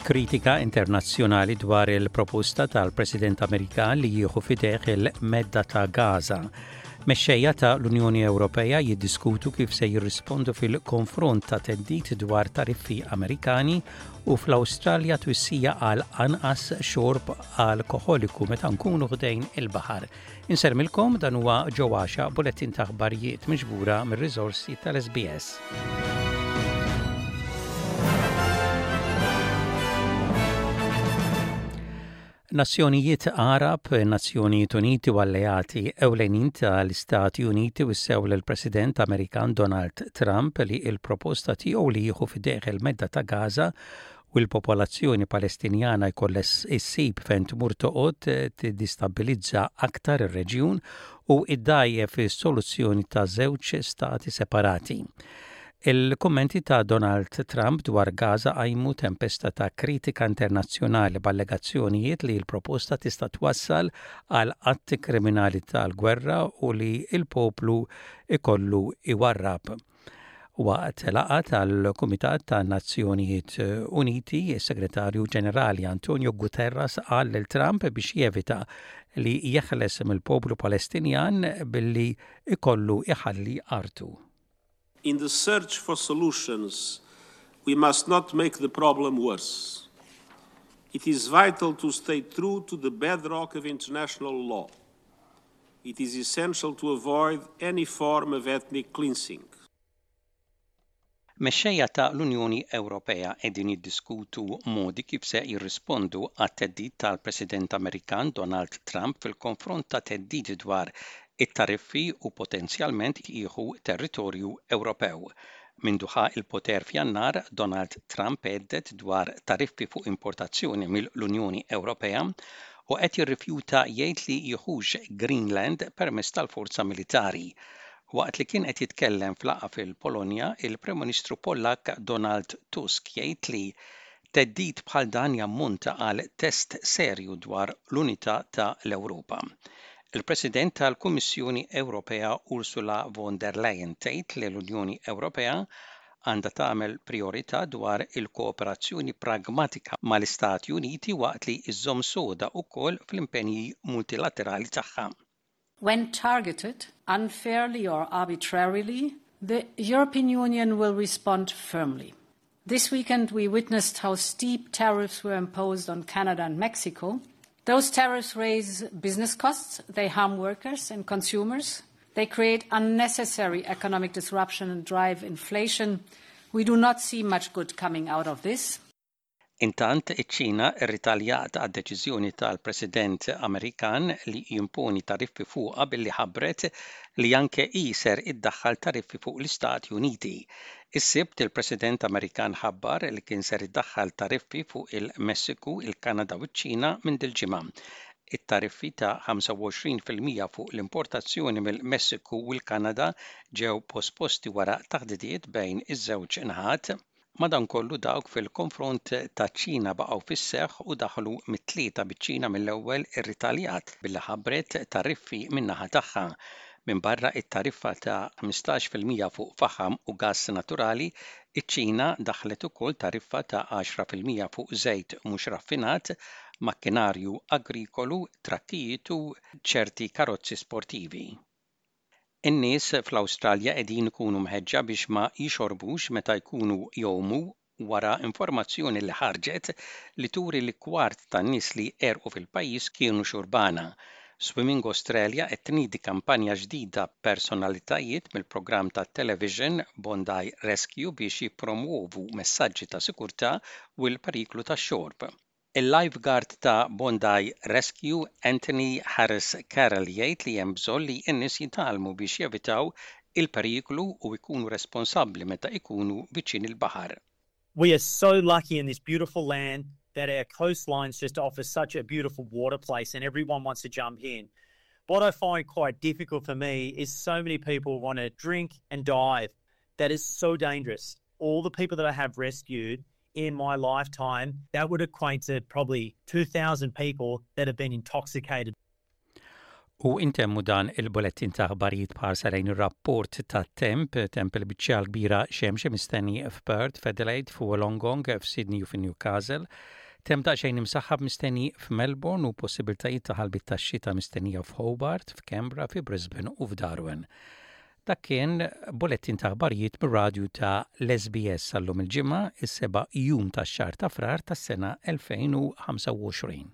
Kritika internazzjonali dwar il-proposta tal-President Amerikan li jieħu f'idejh il-medda ta' Gaza. Mexxejja ta' l-Unjoni Ewropea jiddiskutu kif se jirrispondu fil-konfront ta' theddid dwar tariffi Amerikani u fl-Awstralja twissija għal anqas xorb alkoħoliku meta nkunu ħdejn il-baħar. Insellmilkom dan huwa Joe Għaxa bulettin ta' aħbarijiet miġbura mir-riżorsi tal-SBS. Nazzjonijiet Għarab, Nazzjonijiet Uniti u alleati ewlenin tal-Istati Uniti wissew lill-President Amerikan Donald Trump li l-proposta tiegħu li jieħu f'idejh il-Medda ta' Gaza u l-popolazzjoni Palestinjana jkollha ssib fejn tmur toqgħod tiddistabbilizza aktar ir-reġjun u ddgħajjef is-soluzzjoni ta' żewġ stati separati. Il-kummenti ta' Donald Trump dwar Gaza qajmu tempesta ta' kritika internazzjonali b'allegazzjonijiet li l-proposta tista' twassal għal atti kriminali tal-gwerra u li l-poplu jkollu jwarrab. Waqt laqgħa tal-Kumitat tan-Nazzjonijiet Uniti, is-Segretarju Ġenerali Antonio Guterres qal lil Trump biex jevita li jeħles mill-poplu Palestinjan billi jkollu jħalli artu. In the search for solutions, we must not make the problem worse. It is vital to stay true to the bedrock of international law. It is essential to avoid any form of ethnic cleansing. Mexxejja ta' l-Unjoni Ewropea qegħdin jiddiskutu modi kif se jirrispondu għat-theddid tal-President Amerikan Donald Trump fil-konfront ta' theddid dwar it-tariffi u potenzjalment jieħu territorju Ewropew. Mindu ħa l-poter f'Jannar, Donald Trump hedded dwar tariffi fuq importazzjoni mill-Unjoni Ewropea u qed jirrifjuta jgħid li jieħux Greenland permezz tal-forza militari. Waqt li kien qed jitkellem f'laqgħa fil-Polonja, il-Prim Ministru Pollakk Donald Tusk jgħid li theddid bħal dan jammonta għal test serju dwar l-unità ta' l-Ewropa. Il-President tal-Kummissjoni Ewropea Ursula von der Leyen tgħid li l-Unjoni Ewropea għandha tagħmel prijorità dwar il-kooperazzjoni pragmatika mal-Istati Uniti waqt li żżomm soda wkoll fl-impenji multilaterali tagħha. When targeted, unfairly or arbitrarily, the European Union will respond firmly. This weekend we witnessed how steep tariffs were imposed on Canada and Mexico. Those tariffs raise business costs, they harm workers and consumers, they create unnecessary economic disruption and drive inflation. We do not see much good coming out of this. Intant, iċ-Ċina rritaljat għad-deċiżjoni tal-President Amerikan li jimponi tariffi fuqha billi ħabbret li anke hi ser iddaħħal tariffi fuq l-Istati Uniti. Is-Sibt, il-President Amerikan ħabbar li kien ser idaħħal tariffi fuq il-Messiku, il-Kanada u ċ-Ċina minn dil-ġimgħa. It-tariffi ta' 25% fuq l-importazzjoni mill-Messiku u l-Kanada ġew posposti wara taħdidiet bejn iż-żewġ naħat. Madankollu dawk fil-konfront taċ-Ċina baqgħu fis-seħħ u daħlu mit-Tlieta biċ-Ċina mill-ewwel irritaljat billi ħabbret tariffi min-naħa tagħha. Minbarra t-tariffa ta' 15% fuq faħam u gass naturali, iċ-Ċina daħħlet ukoll tariffa ta' 10% fuq żejt mhux raffinat, makkinarju agrikolu, trakkijiet u ċerti karozzi sportivi. In-nies fl-Awstralja qegħdin ikunu mħeġġa biex ma jixorbux meta jkunu jgħumu wara informazzjoni li ħarġet li turi li kwart tan-nies li għerqu fil-pajjiż kienu xurbana. Swimming Australia qed tniedi kampanja ġdida b'personalitajiet mill-programm tat-television Bondi Rescue biex jippromwovu messaġġi ta' sikurtà u l-periklu tax-xorb. Il-lifeguard ta' Bondi Rescue, Anthony Harris Carroll jgħid li hemm bżonn li n-nies jitgħallmu biex jevitaw il-periklu u jkunu responsabbli meta jkunu viċin il-baħar. We are so lucky in this beautiful land that our coastlines just offer such a beautiful water place and everyone wants to jump in. What I find quite difficult for me is so many people want to drink and dive. That is so dangerous. All the people that I have rescued in my lifetime, that would equate to probably 2,000 people that have been intoxicated. U intemmu dan il-bulettin ta' aħbarijiet b'ħarsa lejn ir-rapport tat-temp, temp il-biċċa l-kbira xemx mistenni f'Perth, f'Adelaide, f'Wollongong, f'Sydney u f'Newcastle. Temp daqsxejn imsaħħab mistenni f'Melbourne u possibiltajiet ta' ħalbiet tax-xita mistennija f'Hobart, f'Canberra, fi Brisbane u f'Darwin. Dak kien bulettin ta' aħbarijiet mir-radju ta' l-SBS għal-lum il-Ġimgħa, is-seba' jum tax-xahar ta' Frar tas-sena 2025.